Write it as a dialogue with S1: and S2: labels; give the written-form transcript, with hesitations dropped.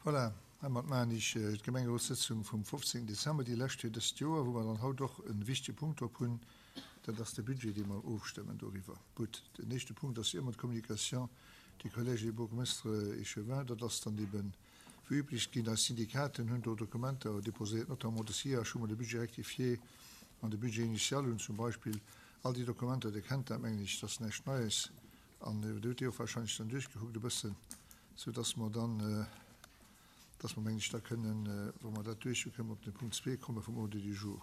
S1: Voilà, heimat maachen ech d'Gemengerotssëtzung vum 15 Dezember, déi lescht fir dëst Joer, wou mer dann haut och e wichtege Punkt drop hunn, dat ass de Budget, dee mer ofstëmmen doriwwer. Gutt, den éischte Punkt ass ëmmer d'Communication du Collège des bourgmestres échevins. Dat ass dann eben wéi üblech ginn. Eis Syndikaten hunn do Dokumenter déposéiert, notamment de SIAG, wou mer de Budget rectifié an de Budget initial hunn zum Beispill. All déi Dokumenter, Dir kennt dat, mengen ech, dat ass näischt Neies. An Dir hutt déi och wahrscheinlech dann duerchgekuckt e bëssen, soudass mer dann, dass mer, mengen ech, da kënnen, wa mer dat duerch hunn, kënnen mer op den Punkt zwee komme vum Ordre du jour.